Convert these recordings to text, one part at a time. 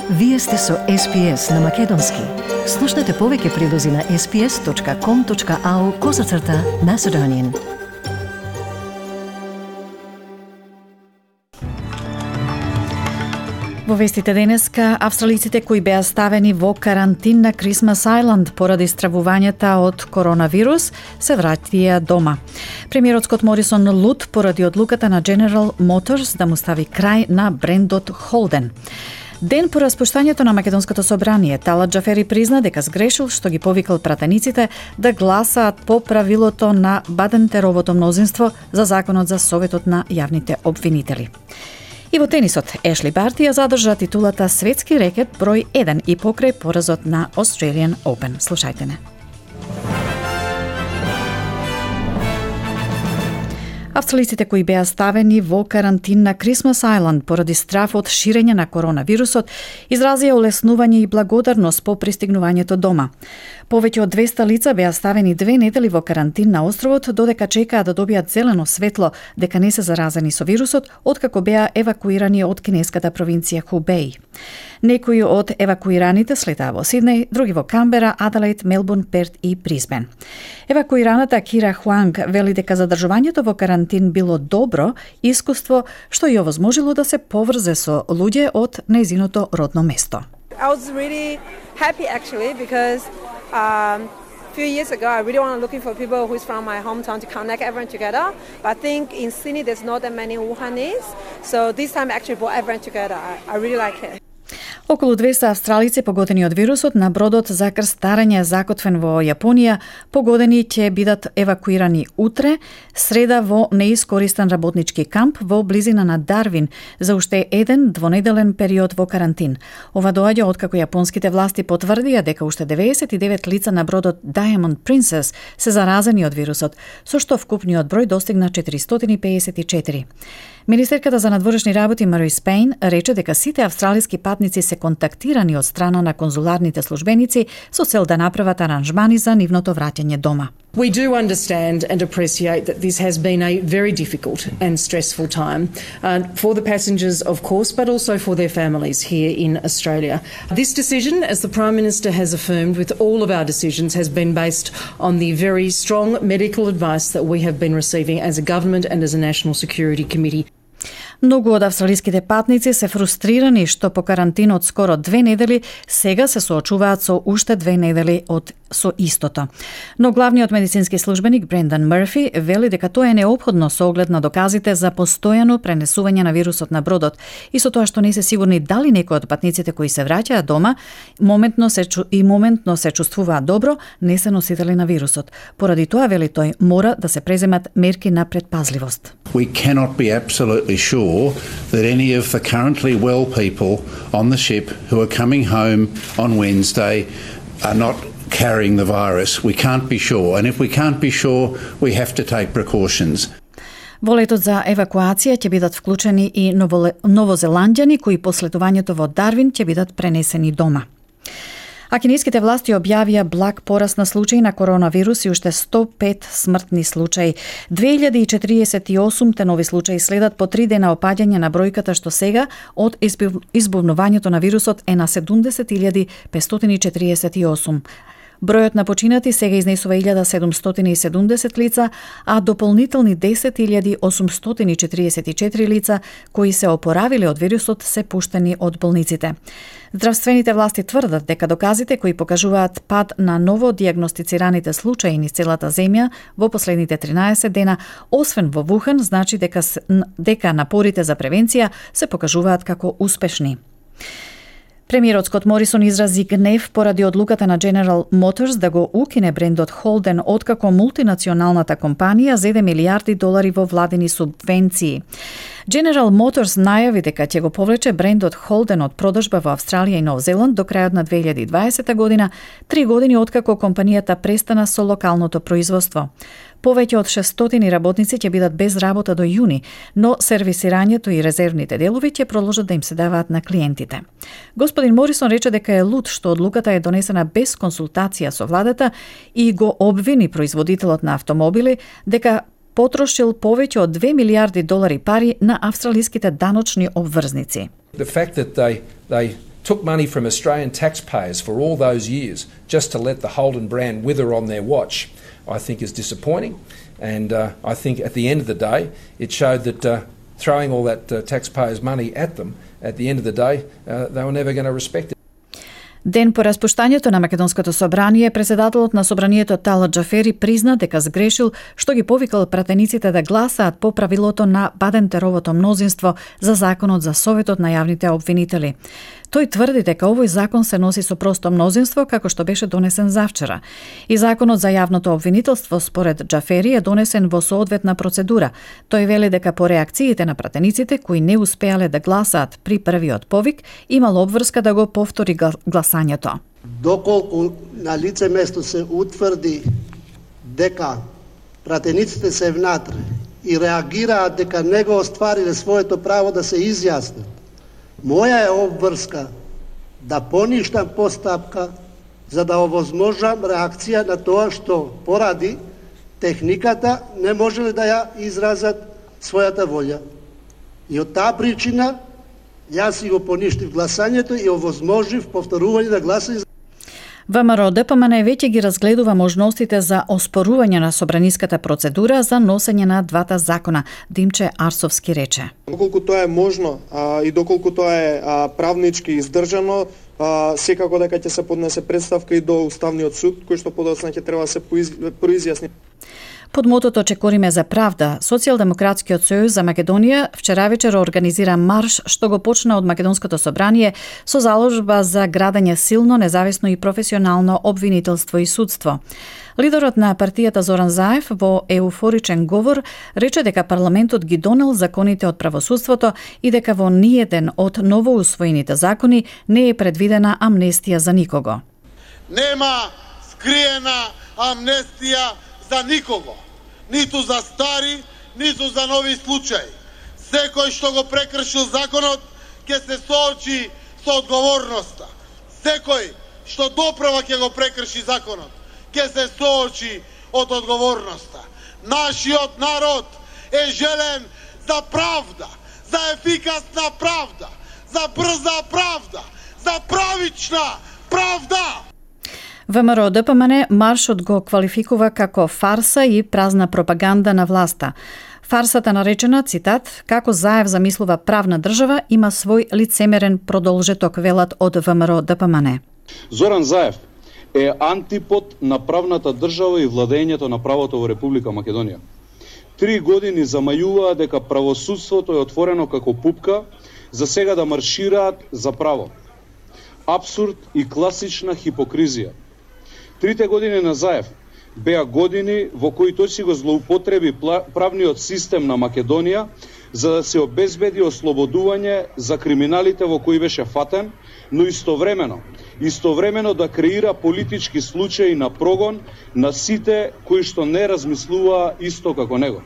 Вие сте со SPS на Македонски. Слушнете повеќе прилози на sps.com.au/Macedonian. Во вестите денеска, австралиците кои беа ставени во карантин на Крисмас Ајланд поради стравувањата од коронавирус се вратија дома. Премиерот Скот Морисон лут поради одлуката на General Motors да му стави крај на брендот Holden. Ден по распуштањето на Македонското собрание, Талат Џафери призна дека сгрешил што ги повикал пратениците да гласаат по правилото на Бадентеровото мнозинство за законот за Советот на јавните обвинители. И во тенисот, Ешли Барти ја задржа титулата светски рекет број 1 и покрај поразот на Australian Open. Слушајте не. Австралиците кои беа ставени во карантин на Крисмас Ајланд поради страв од ширење на коронавирусот изразија олеснување и благодарност по пристигнувањето дома. Повеќе од 200 лица беа ставени 2 недели во карантин на островот додека чекаат да добијат зелено светло дека не се заразени со вирусот откако беа евакуирани од кинеската провинција Хубеј. Некои од евакуираните слетаа во Сиднеј, други во Камбера, Аделаид, Мелбурн, Перт и Брисбен. Евакуираната Кира Хуанг вели дека задржувањето во карантин било добро искуство што ја овозможило да се поврзе со луѓе од нејзиното родно место. I was really happy actually because a few years ago I really want looking for people who's from my hometown to connect everyone together. But I think in Sydney there's not that many Wuhanis, so this time I actually brought everyone together. I really like it. Околу 200 австралици погодени од вирусот на бродот за крстарење закотвен во Јапонија, погодени ќе бидат евакуирани утре, среда во неискористен работнички камп во близина на Дарвин за уште еден двонеделен период во карантин. Ова доаѓа откако јапонските власти потврдија дека уште 99 лица на бродот Diamond Princess се заразени од вирусот, со што вкупниот број достигна 454. Министерката за надворешни работи Мари Спейн рече дека сите австралиски патници се контактирани од страна на конзуларните службеници со цел да направат аранжмани за нивното враќање дома. We do understand and appreciate that this has been a very difficult and stressful time for the passengers, of course, but also for their families here in Australia. This decision, as the Prime Minister has affirmed with all of our decisions, has been based on the very strong medical advice that we have been receiving as a government and as a National Security Committee. Многу од австралиските патници се фрустрирани што по карантин од скоро 2 недели сега се соочуваат со уште 2 недели со истото. Но главниот медицински службеник Брендан Мърфи вели дека тоа е неопходно со оглед на доказите за постојано пренесување на вирусот на бродот и со тоа што не се сигурни дали некои од патниците кои се враќаат дома моментно се чувствуваат добро, не се носители на вирусот. Поради тоа, вели тој, мора да се преземат мерки на предпазливост. We cannot be absolutely sure that any of the currently well people on the ship who are coming home on Wednesday are not carrying the virus. We can't be sure, and if we can't be sure, we have to take precautions. Во летот за евакуација ќе бидат вклучени и новозеландјани кои по слетувањето во Дарвин ќе бидат пренесени дома. А кинеските власти објавија благ пораст на случаи на коронавирус и уште 105 смртни случаи. 2048 нови случаи следат по 3 дена опаѓање на бројката што сега од избувнувањето на вирусот е на 70.548. Бројот на починати сега изнесува 1770 лица, а дополнителни 10.844 лица кои се опоравиле од вирусот се пуштени од болниците. Здравствените власти тврдат дека доказите кои покажуваат пад на ново дијагностицираните случаи низ целата земја во последните 13 дена, освен во Вухан, значи дека напорите за превенција се покажуваат како успешни. Премиерот Скот Морисон изрази гнев поради одлуката на General Motors да го укине брендот Holden откако мултинационалната компанија зеде милиарди долари во владени субвенции. General Motors најави дека ќе го повлече брендот Holden од продажба во Австралија и Нов Зеланд до крајот на 2020 година, 3 години откако компанијата престана со локалното производство. Повеќе од 600 работници ќе бидат без работа до јуни, но сервисирањето и резервните делови ќе продолжат да им се даваат на клиентите. Господин Морисон рече дека е лут што одлуката е донесена без консултација со владата и го обвини производителот на автомобили дека потрошил повеќе од 2 милиарди долари пари на австралиските даночни обврзници. The fact that they took money from Australian taxpayers for all those years just to let the Holden brand wither on their watch, I think is disappointing. And I think at the end of the day, it showed that throwing all that taxpayers' money at them, at the end of the day, they were never going to respect it. Ден по распуштањето на Македонското собрание, председателот на собранието Талат Џафери призна дека сгрешил што ги повикал пратениците да гласаат по правилото на Бадентеровото мнозинство за законот за Советот на јавните обвинители. Тој тврди дека овој закон се носи со просто мнозинство како што беше донесен завчера. И законот за јавното обвинителство според Џафери е донесен во соодветна процедура. Тој вели дека по реакциите на пратениците кои не успеале да гласаат при првиот повик, имало обврска да го повтори гласањето. Доколку на лице место се утврди дека пратениците се внатре и реагираат дека не го оствариле своето право да се изјаснат, моја е обврска да поништам постапка за да овозможам реакција на тоа што поради техниката не можеле да ја изразат својата волја. И од таа причина јас си го поништив гласањето и овозможив повторување на гласање. ВМРО ДПМН веќе ги разгледува можностите за оспорување на собраниската процедура за носење на двата закона, Димче Арсовски рече. Доколку тоа е можно и доколку тоа е правнички издржано, секако дека ќе се поднесе представка и до Уставниот суд, кој што подоцна ќе треба да се произјасни. Под мотото "Чекориме за правда", Социјалдемократскиот сојуз за Македонија вчера вечер организира марш што го почна од Македонското собрание со заложба за градење силно, независно и професионално обвинителство и судство. Лидерот на партијата Зоран Заев во еуфоричен говор рече дека парламентот ги донел законите од правосудството и дека во ниеден од новоусвоените закони не е предвидена амнестија за никого. Нема скриена амнестија за никого, ниту за стари, ниту за нови случаи. Секој што го прекршил законот ќе се соочи со одговорноста. Секој што доправа ќе го прекрши законот ќе се соочи од одговорноста. Нашиот народ е желен за правда, за ефикасна правда, за брза правда, за правична правда. ВМРО ДПМН маршот го квалификува како фарса и празна пропаганда на власта. Фарсата наречена, цитат, "како Заев замислува правна држава, има свој лицемерен продолжеток", велат од ВМРО ДПМН. Зоран Заев е антипод на правната држава и владењето на правото во Република Македонија. 3 години замајуваа дека правосудството е отворено како пупка, за сега да маршираат за право. Абсурд и класична хипокризија. 3 години на Заев беа години во кои тој си го злоупотреби правниот систем на Македонија за да се обезбеди ослободување за криминалите во кои беше фатен, но истовремено да креира политички случаи на прогон на сите кои што не размислуваа исто како него.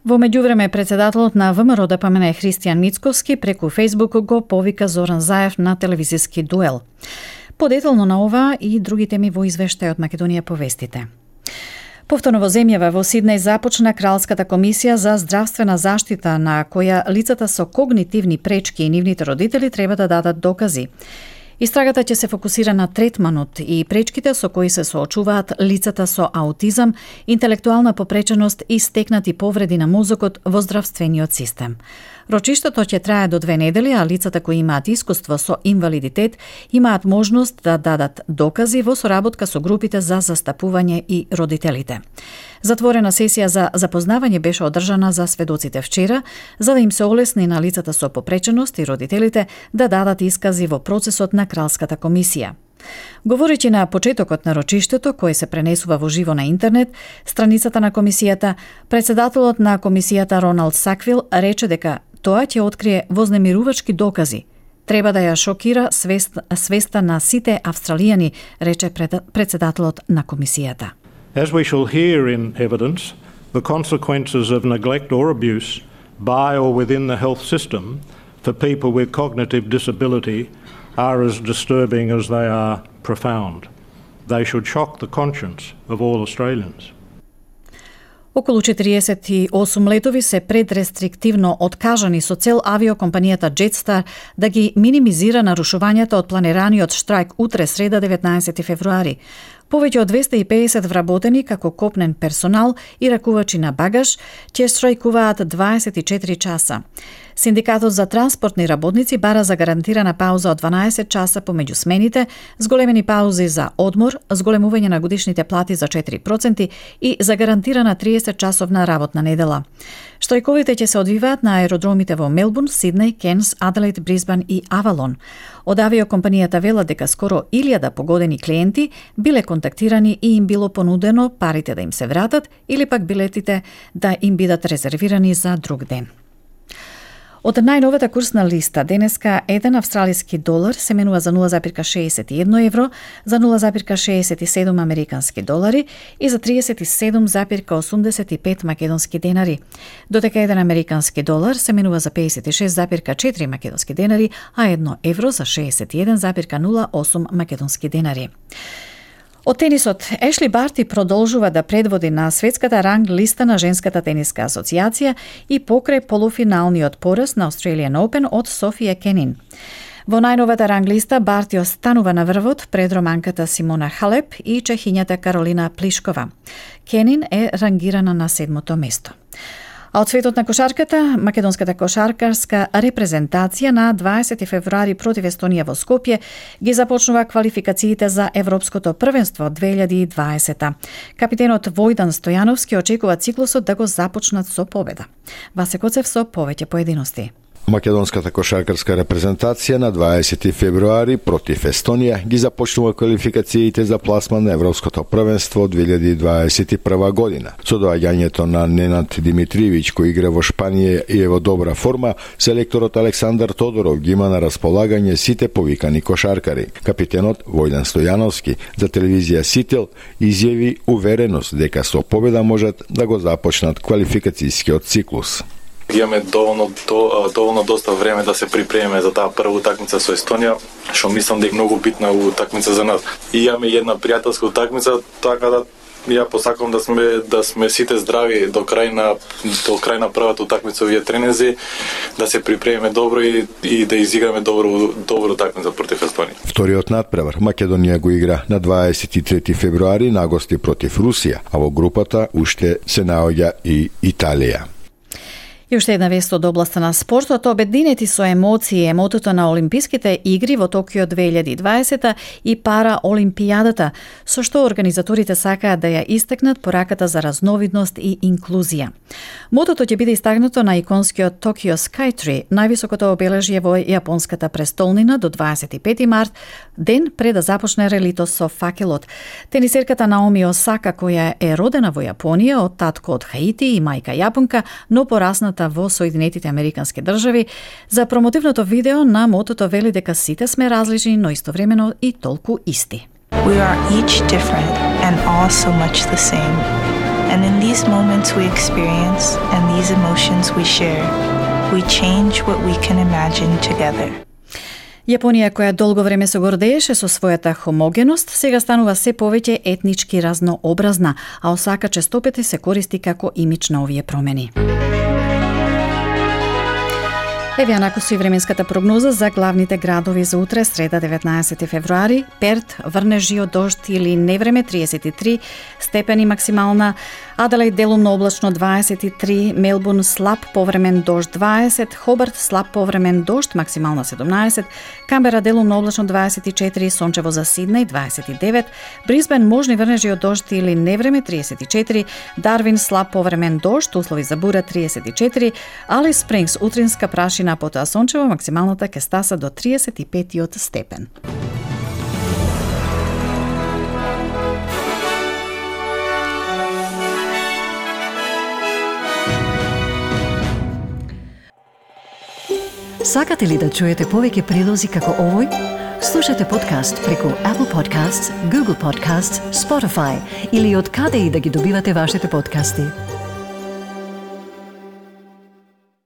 Во меѓувреме, председателот на ВМРО ДПМН Христијан Мицковски преку Фејсбук го повика Зоран Заев на телевизиски дуел. Подетално на ова и други теми во извештајот Македонија по вестите. Повторно во земјава во Сиднеј започна Кралската комисија за здравствена заштита на која лицата со когнитивни пречки и нивните родители треба да дадат докази. Истрагата ќе се фокусира на третманот и пречките со кои се соочуваат лицата со аутизам, интелектуална попреченост и стекнати повреди на мозокот во здравствениот систем. Рочиштето ќе трае до 2 недели, а лицата кои имаат искуство со инвалидитет имаат можност да дадат докази во соработка со групите за застапување и родителите. Затворена сесија за запознавање беше одржана за сведоците вчера, за да им се олесни на лицата со попреченост и родителите да дадат искази во процесот на Кралската комисија. Говорејќи на почетокот на рочиштето, кој се пренесува во живо на интернет, страницата на комисијата, председателот на комисијата Роналд Саквил рече дека тоа ќе открие вознемирувачки докази. Треба да ја шокира свеста на сите австралијани, рече председателот на комисијата. As we shall hear in evidence, the consequences of neglect or abuse by or within the health system for people with cognitive disability are as disturbing as they are profound. They should shock the conscience of all Australians. Околу 48 летови се предрестриктивно откажани со цел авиокомпанијата Jetstar да ги минимизира нарушувањата од планираниот штрајк утре среда 19 февруари. Повеќе од 250 вработени како копнен персонал и ракувачи на багаж ќе штрајкуваат 24 часа. Синдикатот за транспортни работници бара за гарантирана пауза од 12 часа помеѓу смените, зголемени паузи за одмор, зголемување на годишните плати за 4% и за гарантирана 30-часовна работна недела. Штрајковите ќе се одвиваат на аеродромите во Мелбурн, Сиднеј, Кенс, Аделаид, Брисбан и Авалон. Од авиокомпанијата велат дека скоро 1000 погодени клиенти биле контактирани и им било понудено парите да им се вратат или пак билетите да им бидат резервирани за друг ден. Од најновата курсна листа, денеска еден австралиски долар се менува за 0,61 евро, за 0,67 американски долари и за 37,85 македонски денари. Додека еден американски долар се менува за 56,4 македонски денари, а 1 евро за 61,08 македонски денари. Од тенисот, Ешли Барти продолжува да предводи на светската ранг листа на Женската тениска асоциација и покрај полуфиналниот пораз на Australian Open од Софија Кенин. Во најновата ранг листа Барти останува на врвот пред романката Симона Халеп и чехињата Каролина Плишкова. Кенин е рангирана на 7-то место. А од светот на кошарката, македонската кошаркарска репрезентација на 20 февруари против Естонија во Скопје ги започнува квалификациите за Европското првенство 2020. Капитенот Војдан Стојановски очекува циклусот да го започнат со победа. Васе Коцев со повеќе поединости. Македонската кошаркарска репрезентација на 20 февруари против Естонија ги започнува квалификациите за пласман на Европското првенство 2021 година. Со доаѓањето на Ненад Димитриевиќ, кој игра во Шпанија и е во добра форма, селекторот Александар Тодоров ги има на располагање сите повикани кошаркари. Капитенот Војдан Стојановски за телевизија Сител изјави увереност дека со победа можат да го започнат квалификацијскиот циклус. Имаме доволно доста време да се припремиме за таа прва утакмица со Естонија, што мислам дека е многу битна утакмица за нас. И имаме една пријателска утакмица, така да ја посакувам да сме сите здрави до крај на првата утакмица овие тренинзи, да се припремиме добро и да изиграме добро утакмица против Естонија. Вториот надпревар Македонија го игра на 23 февруари на гости против Русија, а во групата уште се наоѓа и Италија. И уште една вест од областа на спортот, обединети со емоции емотото на Олимписките игри во Токио 2020 и Параолимпијадата, со што организаторите сакаат да ја истакнат пораката за разновидност и инклузија. Мотото ќе биде истакнато на иконскиот Tokyo Skytree, највисокото обележје во јапонската престолнина до 25 март, ден пред да започне релито со факелот. Тенисерката Наоми Осака, која е родена во Јапонија од татко од Хаити и мајка јапонка, но порасната во Соединетите Американски држави, за промотивното видео на мотото вели дека сите сме различни, но истовремено и толку исти. We are each different and all so much the same. And in these moments we experience and these emotions we share, we change what we can imagine together. Јапонија, која долго време се гордееше со својата хомогеност, сега станува се повеќе етнички разнообразна, а Осака честопети се користи како имидж на овие промени. Еве накусу и временската прогноза за главните градови за утре, среда 19 февруари. Перт, врнежио, дожд или невреме 33 степени максимална, Аделаид делумно облачно 23, Мелбурн слаб повремен дожд 20, Хобарт слаб повремен дожд максимална 17, Камбера делумно облачно 24, сончево за Сиднеј 29, Брисбен можни врнежи од дожд или невреме 34, Дарвин слаб повремен дожд, услови за бура 34, Алис Спрингс утринска прашина, потоа сончево максималната ќе стаса до 35 степен. Сакате ли да чуете повеќе прилози како овој? Слушате подкаст преку Apple Podcasts, Google Podcasts, Spotify или од каде и да ги добивате вашите подкасти.